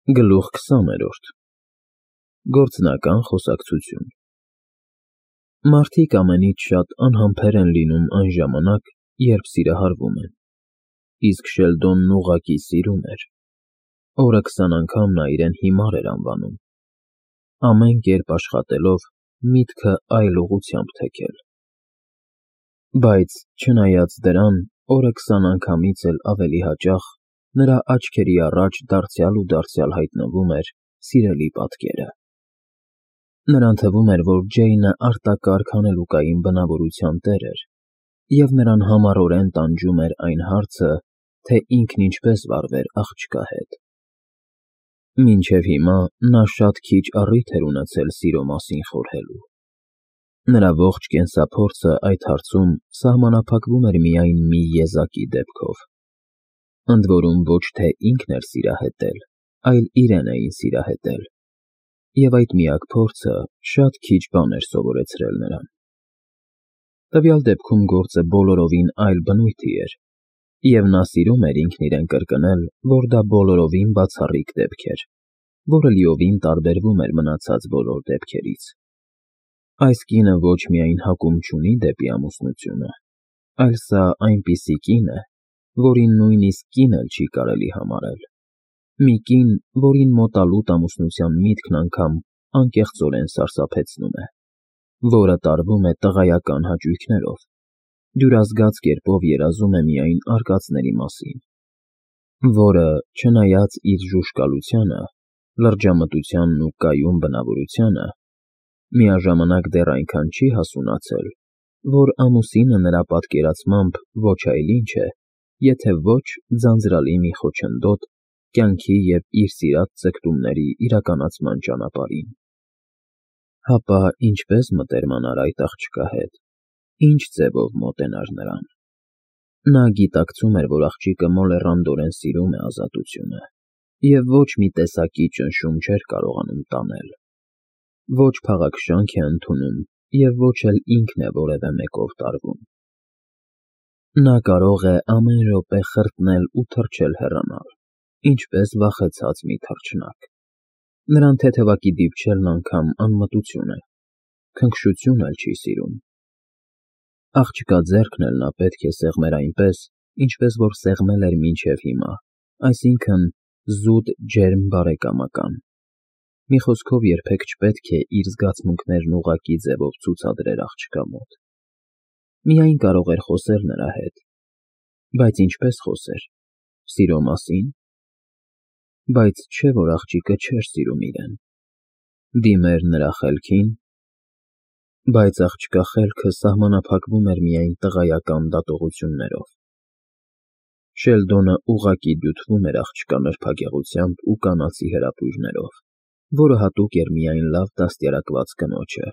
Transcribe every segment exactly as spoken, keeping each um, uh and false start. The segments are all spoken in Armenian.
Գլուխ քսաներորդ Գործնական խոսակցություն Մարդիկ ամենից շատ անհամբեր են լինում այն ժամանակ, երբ սիրահարվում են, իսկ Շելդոնն ուղղակի սիրում էր, օրը քսան անգամ նա իրեն հիմար էր անվանում, ամեն կերպ աշխատելով միտքը այլ ուղղությամբ թեքել, բայց չնայած դրան, օրը քսան անգամից էլ ավելի հաճախ նրա աչքերի առաջ դարձյալ ու դարձյալ հայտնվում էր սիրելի պատկերը. նրան թվում էր, որ Ջեյնը արտակարգ հանելուկային բնավորության տեր էր, և նրան համառորեն տանջում էր այն հարցը, թե ինքն ինչպես վարվեր աղջկա հետ. մինչև հիմա նա շատ քիչ առիթ էր ունեցել սիրո մասին խորհելու. նրա ողջ կենսափորձը այդ հարցում սահմանափակվում էր միայն մի եզակի դեպքով, ընդ որում ոչ թե ինքն էր սիրահետել, այլ իրեն էին սիրահետել, և այդ միակ փորձը շատ քիչ բան էր սովորեցրել նրան. տվյալ դեպքում գործը բոլորովին այլ բնույթի էր, և նա սիրում էր ինքն իրեն կրկնել, որ դա բոլորովին բացառիկ դեպք էր, որը լիովին տարբերվում էր մնացած բոլոր դեպքերից. այս կինը ոչ միայն հակում չունի դեպի ամուսնությունը, այլ սա այնպիսի կին է, որին նույնիսկ կին էլ չի կարելի համարել, մի կին, որին մոտալուտ ամուսնության միտքն անգամ անկեղծորեն սարսափեցնում է, որը տարվում է տղայական հաճույքներով, դյուրազգաց կերպով երազում է միայն արկածների մասին, որը, չնայած իր ժուժկալությանը, լրջամտությանն ու կայուն բնավորությանը, միաժամանակ դեռ այնքան չի հասունացել, որ ամուսինը նրա պատկերացմամբ ոչ այլ ինչ է, եթե ոչ ձանձրալի մի խոչընդոտ կյանքի և իր սիրած ձգտումների իրականացման ճանապարհին: Հապա ինչպե՞ս մտերմանար այդ աղջկա հետ, ինչ ձևով մոտենար նրան: Նա գիտակցում էր, որ աղջիկը մոլեռանդորեն սիրում է ազատությունը և ոչ մի տեսակի ճնշում չէր կարողանում տանել, ոչ փաղաքշանք է ընդունում և ոչ էլ ինքն է որևէ մեկով տարվում: Նա կարող է ամեն րոպե խրտնել ու թռչել հեռանալ, ինչպես վախեցած մի թռչնակ: Նրան թեթևակի դիպչելն անգամ անմտություն է, քնքշություն էլ չի սիրում: Աղջկա ձեռքն էլ նա պետք է սեղմեր այնպես, ինչպես որ սեղմել էր մինչև հիմա, այսինքն՝ զուտ ջերմ բարեկամական: Մի խոսքով երբեք չպետք է իր զգացմունքներն ուղղակի ձևով ցուցադրեր աղջկա մոտ: Միայն կարող էր խոսել նրա հետ, բայց ինչպե՞ս խոսեր, սիրո մասի՞ն: Բայց չէ՞ որ աղջիկը չէր սիրում իրեն: Դիմեր նրա խելքի՞ն: Բայց աղջկա խելքը սահմանափակվում էր միայն տղայական դատողություններով: Շելդոնը ուղղակի դյութվում էր աղջկա նրբագեղությամբ ու կանացի հրապույրներով, որը հատուկ էր միայն լավ դաստիարակված կնոջը,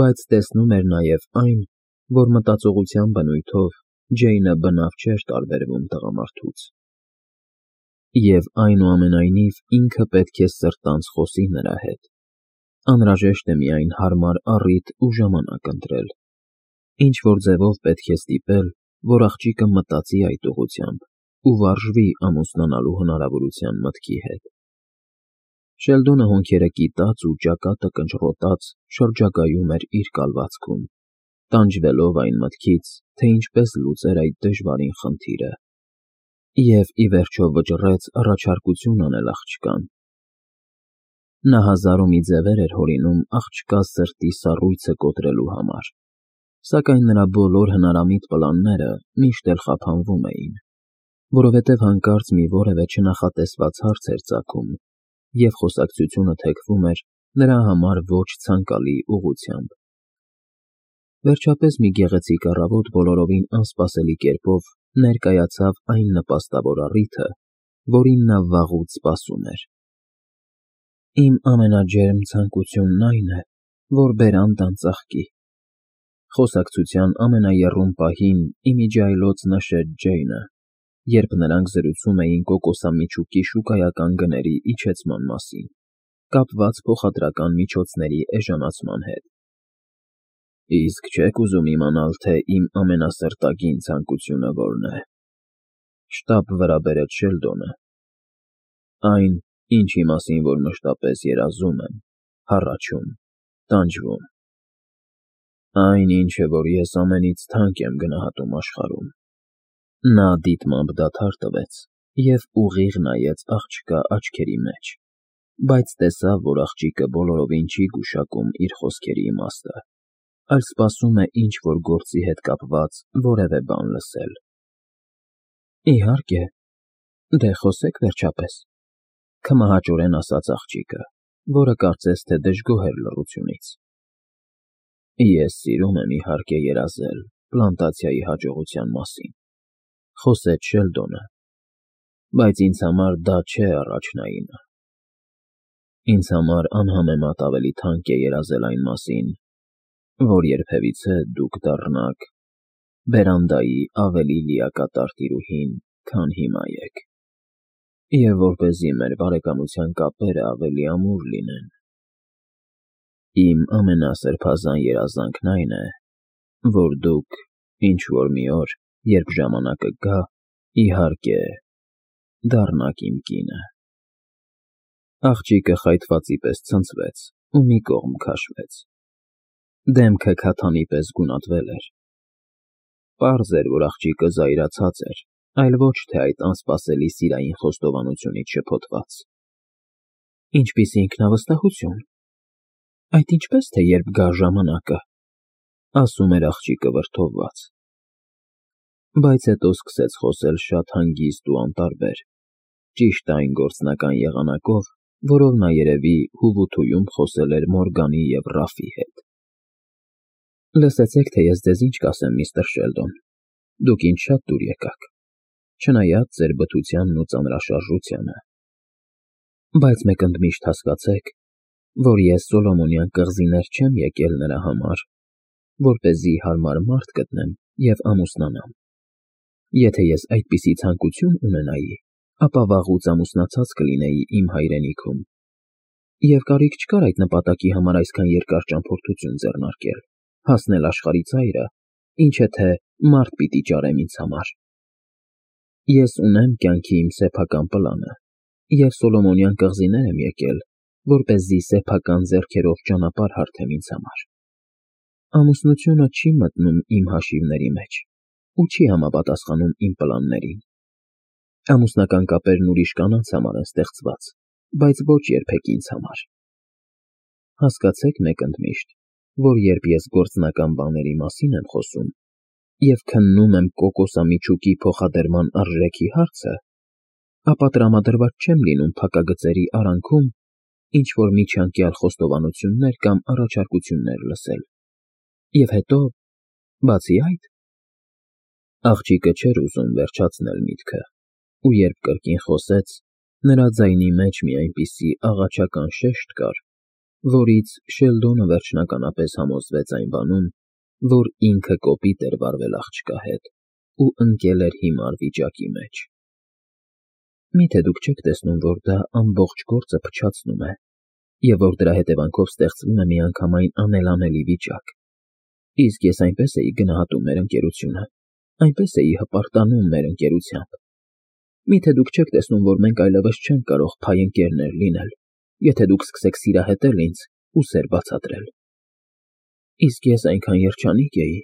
բայց տեսնում էր նաև այն, որ մտածողության բնույթով Ջեյնը բնավ չէր տարբերվում տղամարդուց: Եվ այնուամենայնիվ ինքը պետք է սրտանց խոսի նրա հետ, անհրաժեշտ է միայն հարմար առիթ ու ժամանակ ընտրել, ինչ-որ ձևով պետք է ստիպել, որ աղջիկը մտածի այդ ուղղությամբ ու վարժվի ամուսնանալու հնարավորության մտքի հետ: Շելդոնը հոնքերը կիտած ու ճակատը կնճռոտած շրջագայում էր իր կալվածքում, տանջվելով այն մտքից, թե ինչպես լուծեր այդ դժվարին խնդիրը, և ի վերջո վճռեց առաջարկություն անել աղջկան: Նա հազար ու մի ձևեր էր հորինում աղջկա սրտի սառույցը կոտրելու համար, սակայն նրա բոլոր հնարամիտ պլանները միշտ էլ խափանվում էին, որովհետև հանկարծ մի որևէ չնախատեսված հարց էր ծագում, և խոսակցությունը թեքվում էր նրա համար ոչ ցանկալի ուղղությամբ: Վերջապես մի գեղեցիկ առավոտ բոլորովին անսպասելի կերպով ներկայացավ այն նպաստավոր առիթը, որին նա վաղուց սպասում էր: «Իմ ամենաջերմ ցանկությունն այն է, որ բերանտն ծաղկի», խոսակցության ամենաեռում պահին ի միջի այլոց նշեց Ջեյնը, երբ նրանք զրուցում էին կոկոսամիջուկի շուկայական գների իջեցման մասին, կապված փոխադրական միջոցների էժանացման հետ: Իսկ չե՞ք ուզում իմանալ, թե իմ ամենասրտագին ցանկությունը որն է,֊ շտապ վրա բերեց Շելդոնը: Այն, ինչի մասին որ մշտապես երազում եմ, հառաչում, տանջվում։ Այն ինչը, որ ես ամենից թանկ եմ գնահատում աշխարհում։ Նա դիտմամբ դադար տվեց և ուղիղ նայեց աղջկա աչքերի մեջ, բայց տեսավ, որ աղջիկը բոլորովին չի գուշակում իր խոսքերի իմաստը, այլ սպասում է ինչ-որ գործի հետ կապված որևէ բան լսել։ Իհարկե, դե խոսեք վերջապես, քմահաճորեն ասաց աղջիկը, որը կարծես թե դժգոհ էր լռությունից։ Ես սիրում եմ, իհարկե, երազել պլանտացիայի հաջողության մասին, խոսեց Շելդոնը, բայց ինձ համար դա չէ առաջնայինը։ Ինձ համար անհամեմատ ավելի թանկ է երազել այն մասին, որ երբևիցե դուք դառնաք բերանդայի ավելի լիակատար տիրուհին, քան հիմա եք, և որպեսզի մեր բարեկամության կապերը ավելի ամուր լինեն։ Իմ ամենասրբազան երազանքն այն է, որ դուք ինչ֊որ մի օր, երբ ժամանակը գա, իհարկե, դառնաք իմ կինը։ Աղջիկը խայթվածի պես ցնցվեց ու մի կողմ քաշվեց։ Դեմքը քաթանի պես գունատվել էր։ Պարզ էր, որ աղջիկը զայրացած էր, այլ ոչ թե այդ անսպասելի սիրային խոստովանությունից շփոթված։ Ինչպիսի ինքնավստահություն։ Այդ ինչպես թե երբ գա ժամանակը, ասում էր աղջիկը վրդովված։ Բայց հետո սկսեց խոսել շատ հանգիստ ու անտարբեր, ճիշտ այն գործնական եղանակով, որով նա երևի հուվութույում խոսել էր Մորգանի և Ռաֆի հետ։ Լսեցեք, թե ես ձեզ ինչ կասեմ, միստր Շելդոն, դուք ինձ շատ դուր եկաք, չնայած ձեր բթությանն ու ծանրաշարժությանը։ Բայց մեկ ընդմիշտ հասկացեք, որ ես Սոլոմոնյան կղզիներ չեմ եկել նրա համար, որպեսզի հարմար մարդ գտնեմ և ամուսնանամ։ Եթե ես այդպիսի ցանկություն ունենայի, ապա վաղուց ամուսնացած կլինեի իմ հայրենիքում, և կարիք չկար այդ նպատակի համար այսքան երկար ճամփորդություն ձեռնարկել, հասնել աշխարհի ծայրը, ինչը թե մարդ պիտի ճարեմ ինձ համար։ Ես ունեմ կյանքի իմ սեփական պլանը, և Սոլոմոնյան կղզիներ եմ եկել, որպեսզի սեփական ձեռքերով ճանապարհ հարթեմ ինձ համար։ Ամուսնությունը չի մտնում իմ հաշիվների մեջ ու չի համապատասխանում իմ պլաններին։ Ամուսնական կապերն ուրիշ կանանց համար են ստեղծված, բայց ոչ երբեք ինձ համար։ Հասկացեք մեկ ընդմիշտ, որ երբ ես գործնական բաների մասին եմ խոսում և քննում եմ կոկոսամիջուկի փոխադրման արժեքի հարցը, ապա տրամադրված չեմ լինում փակագծերի արանքում ինչ-որ միջանկյալ խոստովանություններ կամ առաջարկություններ լսել։ Եվ հետո, բացի այդ… Աղջիկը չէր ուզում վերջացնել միտքը, ու երբ կրկին խոսեց, նրա ձայնի մեջ մի այնպիսի աղաչական շեշտ կար, որից Շելդոնը վերջնականապես համոզվեց այն բանում, որ ինքը կոպիտ էր վարվել աղջկա հետ ու ընկել էր հիմար վիճակի մեջ։ Մի՞թե դուք չեք տեսնում, որ դա ամբողջ գործը փչացնում է, և որ դրա հետևանքով ստեղծվում է միանգամայն անելանելի վիճակ։ Իսկ ես այնպես էի գնահատում մեր ընկերությունը, այնպես էի հպարտանում մեր ընկերությամբ։ Մի՞թե դուք չեք տեսնում, որ մենք այլևս չենք կարող փայ ընկերներ լինել, եթե դուք սկսեք սիրահետել ինձ ու սեր բացատրել։ Իսկ ես այնքան երջանիկ էի…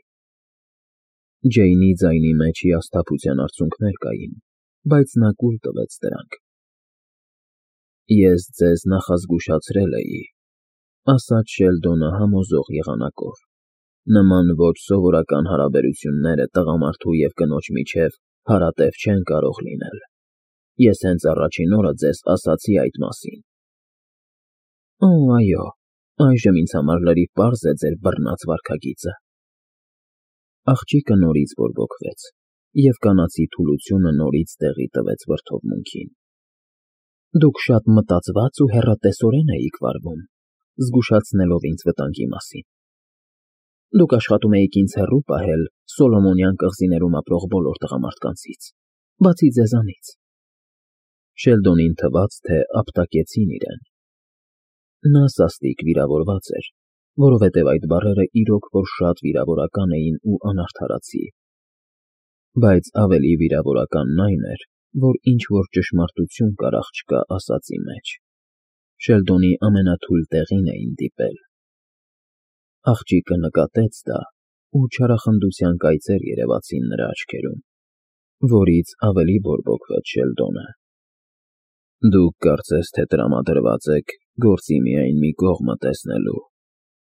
Ջեյնի ձայնի մեջ հիասթափության արցունքներ կային, բայց նա կուլ տվեց դրանք։ Ես ձեզ նախազգուշացրել էի, ասաց Շելդոնը համոզող եղանակով, նման ոչ սովորական հարաբերությունները տղամարդու և կնոջ միջև հարատև չեն կարող լինել։ Ես հենց առաջին օրը ձեզ ասացի այդ մասին։ Օ, այո, այժմ ինձ համար լրիվ պարզ է ձեր բռնած վարքագիծը։ Աղջիկը նորից բորբոքվեց, և կանացի թուլությունը նորից տեղի տվեց վրդովմունքին։ Դուք շատ մտածված ու հեռատեսորեն էիք վարվում, զգուշացնելով ինձ վտանգի մասին։ Դուք աշխատում էիք ինձ հեռու պահել Սոլոմոնյան կղզիներում ապրող բոլոր տղամարդկանցից, բացի ձեզանից։ Շելդոնին թվաց, թե ապտակեցին իրեն։ Նա սաստիկ վիրավորված էր, որովհետև այդ բառերը իրոք որ շատ վիրավորական էին ու անարդարացի։ Բայց ավելի վիրավորականն այն էր, որ ինչ-որ ճշմարտություն կար աղջկա ասածի մեջ։ Շելդոնի ամենաթույլ տեղին էին դիպել։ Աղջիկը նկատեց դա, ու չարախնդության կայծեր երևացին նրա աչքերում, որից ավելի բորբոքվեց Շելդոնը։ Դուք կարծես թե տրամադրված եք գործի միայն մի կողմը տեսնելու,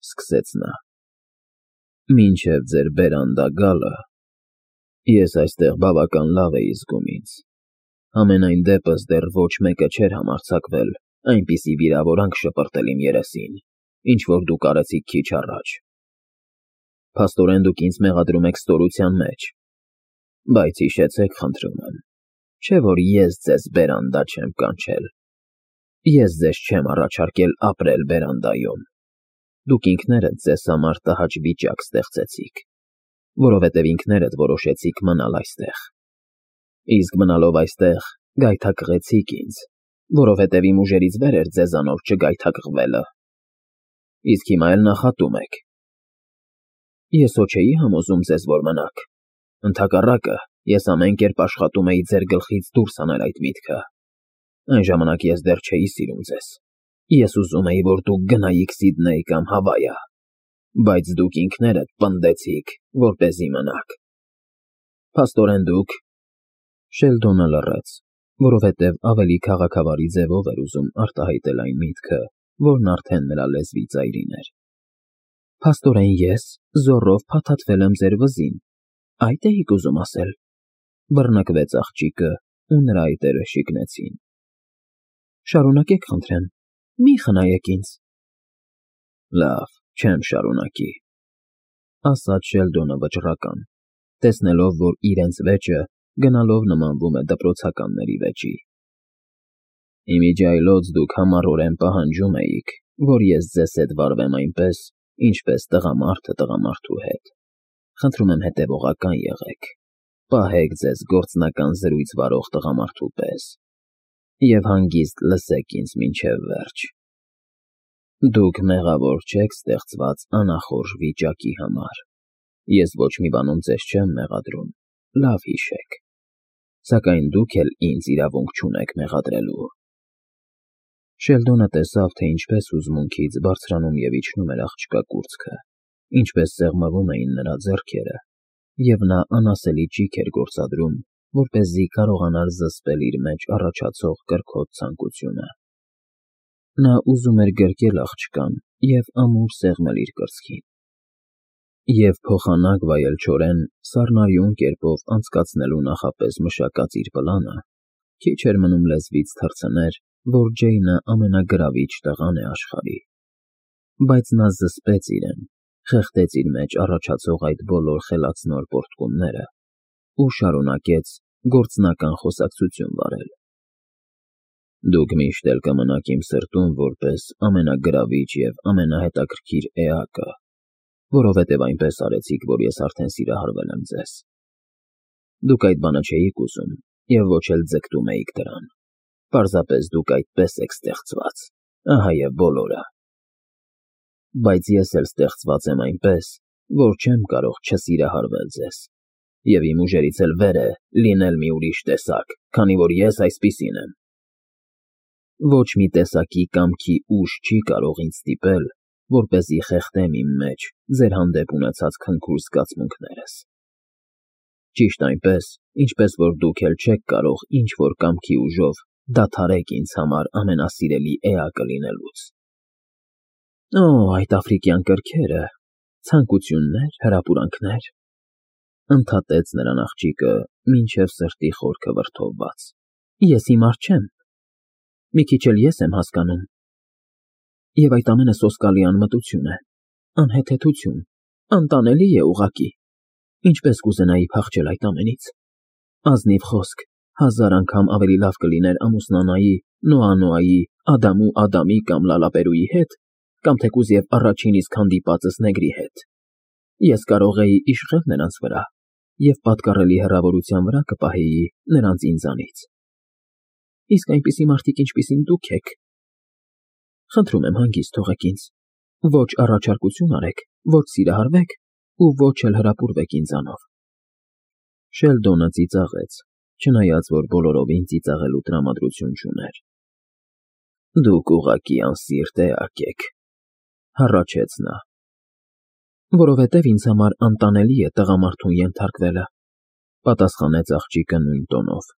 սկսեց նա։ Մինչև ձեր բերանդա գալը, ես այստեղ բավական լավ էի զգում ինձ։ Համենայն դեպս դեռ ոչ մեկը չէր համարձակվել այնպիսի վիրավորանք շպրտել իմ երեսին, ինչ որ դուք արեցիք քիչ առաջ։ Փաստորեն դուք ինձ մեղադրում եք ստորության մեջ, բայց հիշեցեք, խնդրում եմ, չէ՞ որ ես ձեզ բերանդա չեմ կանչել։ Ես ձեզ չեմ առաջարկել ապրել բերանդայում։ Դուք ինքներդ ձեզ համար տհաճ վիճակ ստեղծեցիք, որովհետև ինքներդ որոշեցիք մնալ այստեղ։ Իսկ մնալով այստեղ գայթակղեցիք ինձ, որովհետև իմ ուժերից վեր էր ձեզանով չգայթակղվելը։ Իսկ հիմա էլ նախատում եք։ Ես հո չէի համոզում ձեզ, որ մնաք։ Ընդհակառակը, ես ամեն կերպ աշխատում էի ձեր գլխից դուրս հանել այդ միտքը։ Այն ժամանակ ես դեռ չէի սիրում ձեզ։ Ես ուզում էի, որ դուք գնայիք Սիդնեյ կամ Հավայա, բայց դուք ինքներդ պնդեցիք, որպեսզի մնաք։ Փաստորեն դուք… Շելդոնը լռեց, որովհետև ավելի քաղաքավարի ձևով էր ուզում արտահայտել այն միտքը, որն արդեն նրա լեզվի ծայրին էր։ Փաստորեն ես զոռով փաթաթվել եմ ձեր վզին, այդ էիք ուզում ասել։ Բռնկվեց աղջիկը, ու նրա այտերը շիկնեցին։ Շարունակեք, խնդրեմ, մի խնայեք ինձ։ Լավ, չեմ շարունակի, ասաց Շելդոնը վճռական, տեսնելով, որ իրենց վեճը գնալով նմանվում է դպրոցականների վեճի։ Իմիջիայլոց դուք համառորեն պահանջում էիք, որ ես ձեզ հետ վարվեմ այնպես, ինչպես տղամարդը տղամարդու հետ։ Խնդրում եմ հետևողական եղեք, պահեք ձեզ գործնական զրույց վարող տղամարդու պես և հանգիստ լսեք ինձ մինչև վերջ։ Դուք մեղավոր չեք ստեղծված անախորժ վիճակի համար։ Ես ոչ մի բանում ձեզ չեմ մեղադրում, լավ հիշեք, սակայն դուք էլ ինձ իրավունք չունեք մեղադրելու։ Շելդոնը տեսավ, թե ինչպես հուզմունքից բարձրանում և իջնում էր աղջկա կուրծքը, ինչպես սեղմվում էին նրա ձեռքերը, և նա անասելի ճիգ էր գործադրում, որպեսզի կարողանար զսպել իր մեջ առաջացող կրքոտ ցանկությունը։ Նա ուզում էր գրկել աղջկան և ամուր սեղմել իր կրծքին, և փոխանակ վայելչորեն սառնարյուն կերպով անցկացնելու նախապես մշակած իր պլանը, քիչ էր մնում լեզվից թռցներ, որ Ջեյնը ամենագրավիչ տղան է աշխարհի։ Բայց նա զսպեց իրեն, խեղդեց իր մեջ առաջացող այդ բոլոր խելացնոր պոռթկումները ու շարունակեց գործնական խոսակցություն վարել։ Դուք միշտ էլ կմնաք իմ սրտում որպես ամենագրավիչ և ամենահետաքրքիր էակը, որովհետև այնպես արեցիք, որ ես արդեն սիրահարվել եմ ձեզ։ Դուք այդ բանը չէիք ուզում և ոչ էլ ձգտում էիք դրան, պարզապես դուք այդպես եք ստեղծված, ահա և բոլորը։ Բայց ես էլ ստեղծված եմ այնպես, որ չեմ կարող չսիրահարվել ձեզ, և իմ ուժերից էլ վեր է լինել մի ուրիշ տեսակ, քանի որ ես այսպիսին եմ։ Ոչ մի տեսակի կամքի ուժ չի կարող ինձ ստիպել, որպեսզի խեղդեմ իմ մեջ ձեր հանդեպ ունեցած քնքուշ զգացմունքներս։ Ճիշտ այնպես, ինչպես որ դուք էլ չեք կարող ինչ-որ կամքի ուժով դադարեք ինձ համար ամենասիրելի էակը լինելուց։ Օ, այդ աֆրիկյան կրքերը, ցանկություններ, հրապուրանքներ, ընդհատեց նրան աղջիկը, մինչև սրտի խորքը վրդովված։ Ես հիմար չեմ։ Մի քիչ էլ ես եմ հասկանում։ Եվ այդ ամենը սոսկալի անմտություն է, անհեթեթություն, անտանելի է ուղղակի։ Ինչպես կուզենայի փախչել այդ ամենից։ Ազնիվ խոսք, հազար անգամ ավելի լավ կլիներ ամուսնանայի Նոա֊Նոայի, Ադամու Ադամի կամ Լալապերուի հետ, կամ թեկուզ և առաջին իսկ հանդիպածս նեգրի հետ։ Ես կարող էի իշխել նրանց վրա և պատկառելի հեռավորության վրա կպահեի նրանց ինձանից։ Իսկ այնպիսի մարդիկ, ինչպիսին դուք եք… Խնդրում եմ հանգիստ թողեք ինձ, ոչ առաջարկություն արեք, ոչ սիրահարվեք ու ոչ էլ հրապուրվեք ինձանով։ Շելդոնը ծիծաղեց, չնայած որ բոլորովին ծիծաղելու տրամադրություն չուներ։ Դուք ուղղակի անսիրտ էակ եք, հառաչեց նա։ Որովհետև ինձ համար անտանելի է տղամարդուն ենթարկվելը, պատասխանեց աղջիկը նույն տոնով։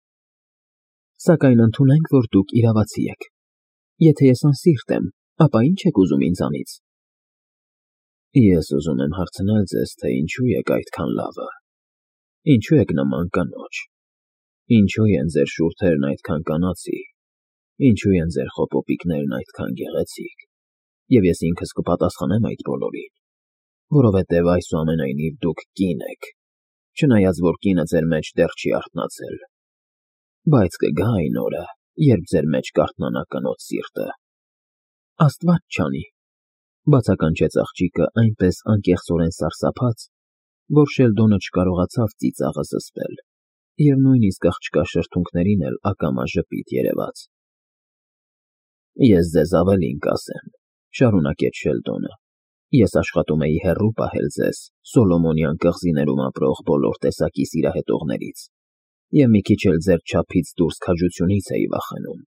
Սակայն ընդունենք, որ դուք իրավացի եք։ Եթե ես անսիրտ եմ, ապա ինչ եք ուզում ինձանից։ Ես ուզում եմ հարցնել ձեզ, թե ինչու եք այդքան լավը, ինչու եք նման կնոջ, ինչու են ձեր շուրթերն այդքան կանացի, ինչու են ձեր խոպոպիկներն այդքան գեղեցիկ, և ես ինքս կպատասխանեմ այդ բոլորին, որովհետև այսուամենայնիվ դուք կին եք, չնայած որ կինը ձեր մեջ դեռ չի արթնացել, բայց կգա այն օրը, երբ ձեր մեջ կարթնանա կնոջ սիրտը։ Աստված չանի, բացականչեց աղջիկը այնպես անկեղծորեն սարսափած, որ Շելդոնը չկարողացավ ծիծաղը զսպել, և նույնիսկ աղջկա շրթունքներին էլ ակամա ժպիտ երևաց։ Ես ձեզ ավելին կասեմ, շարունակեց Շելդոնը, ես աշխատում էի հեռու պահել ձեզ Սոլոմոնյան կղզիներում ապրող բոլոր տեսակի սիրահետողներից, և մի քիչ էլ ձեր չափից դուրս քաջությունից էի վախենում։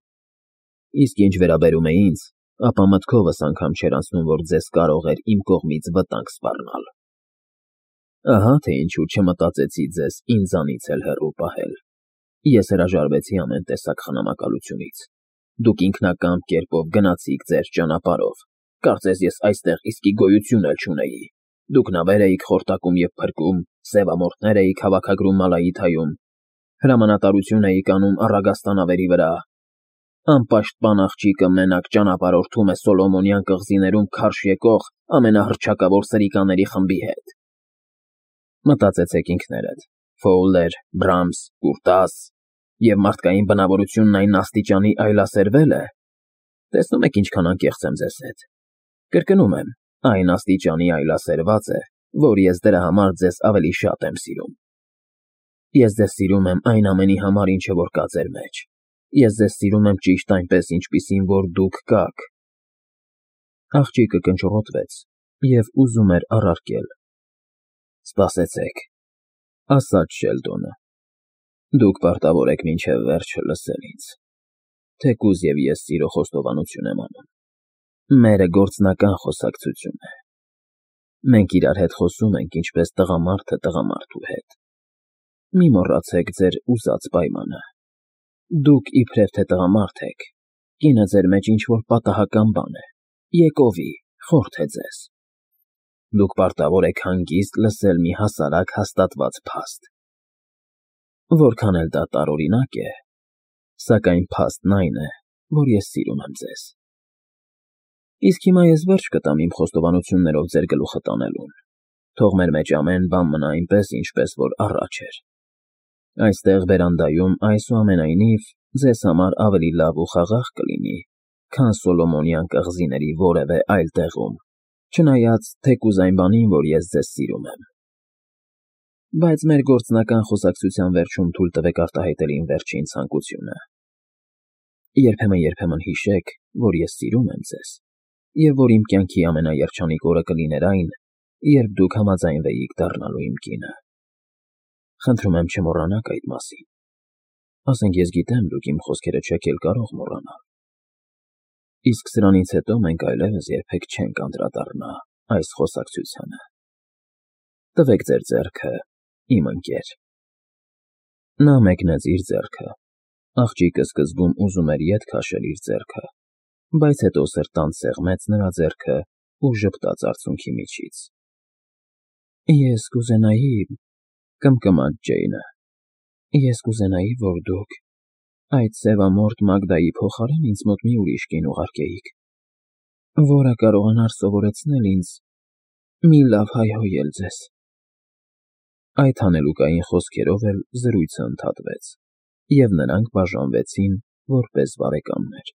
Իսկ ինչ վերաբերում է ինձ, ապա մտքովս անգամ չէր անցնում, որ ձեզ կարող էր իմ կողմից վտանգ սպառնալ։ Ահա թե ինչու չմտածեցի ձեզ ինձանից էլ հեռու պահել։ Ես հրաժարվեցի ամեն տեսակ խնամակալությունից։ Դուք ինքնակամ կերպով գնացիք ձեր ճանապարհով, կարծես ես այստեղ իսկի գոյություն էլ չունեի։ Դուք նավեր էիք խորտակում և փրկում, սևամորթներ էիք հավաքագրում Մալայիթայում, հրամանատարություն էիք անում առագաստանավերի վրա։ Անպաշտպան աղջիկը մենակ ճանապարհորդում է Սոլոմոնյան կղզիներում քարշ եկող ամենահռչակավոր սրիկաների խմբի հետ։ Մտածեցեք ինքներդ. Ֆոուլեր, Բրամս, Կուրտաս, և մարդկային բնավորությունն այն աստիճանի այլասերվել է։ Տեսնում եք ինչքան անկեղծ եմ ձեզ հետ։ Կրկնում եմ, այն աստիճանի այլասերված է, որ ես դրա համար ձեզ ավելի շատ եմ սիրում։ Ես ձեզ սիրում եմ այն ամենի համար, ինչը որ կա ձեր մեջ։ Ես ձեզ սիրում եմ ճիշտ այնպես, ինչպիսին որ դուք կաք։ Աղջիկը կնճռոտվեց և ուզում էր առարկել։ Սպասեցեք, ասաց Շելդոնը։ Դուք պարտավոր եք մինչև վերջը լսել ինձ, թեկուզ և ես սիրո խոստովանություն եմ անում։ Մերը գործնական խոսակցություն է։ Մենք իրար հետ խոսում ենք, ինչպես տղամարդը տղամարդու հետ։ Մի մոռացեք ձեր ուզած պայմանը։ Դուք իբրև թե տղամարդ եք, կինը ձեր մեջ ինչ-որ պատահական բան է, եկովի, խորթ է ձեզ։ Դուք պարտավոր եք հանգիստ լսել մի հասարակ հաստատված փաստ։ Որքան էլ դա տարօրինակ է, սակայն փաստն այն է, որ ես սիրում եմ ձեզ։ Իսկ հիմա ես վերջ կտամ իմ խոստովանություններով ձեր գլուխը տանելուն, թող մեր մեջ ամեն բան մնա այնպես, ինչպես որ առաջ էր։ Այստեղ բերանդայում այսուամենայնիվ ձեզ համար ավելի լավ ու խաղաղ կլինի, քան Սոլոմոնյան կղզիների որևէ այլ տեղում, չնայած թեկուզ այն բանին, որ ես ձեզ սիրում եմ։ Բայց մեր գործնական խոսակցության վերջում թույլ տվեք արտահայտել իմ վերջին ցանկությունը։ Երբեմն-երբեմն հիշեք, որ ես սիրում եմ ձեզ, և որ իմ կյանքի ամենաերջանիկ օրը կլիներ այն, երբ դուք համաձայնվեիք դառնալու իմ կինը։ Խնդրում եմ չմոռանաք այդ մասին։ Ասենք ես գիտեմ, դուք իմ խոսքերը չեք էլ կարող մոռանալ։ Իսկ սրանից հետո մենք այլևս երբեք չենք անդրադառնա այս խոսակցությանը։ Տվեք ձեր ձեռքը, իմ ընկեր։ Նա մեկնեց իր ձեռքը։ Աղջիկը սկզբում ուզում էր ետ քաշել իր ձեռքը, բայց հետո սրտանց սեղմեց նրա ձեռքը ու ժպտաց արցունքի միջից։ Ես կուզենայի, կմկմաց Ջեյնը, ես կուզենայի, որ դուք այդ սևամորթ Մագդայի փոխարեն ինձ մոտ մի ուրիշ կին ուղարկեիք, որը կարողանար սովորեցնել ինձ մի լավ հայհոյել ձեզ։ Այդ հանելուկային խոսքերով էլ զրույցը ընդհատվեց, և նրանք բաժանվեցին որպես բարեկամներ։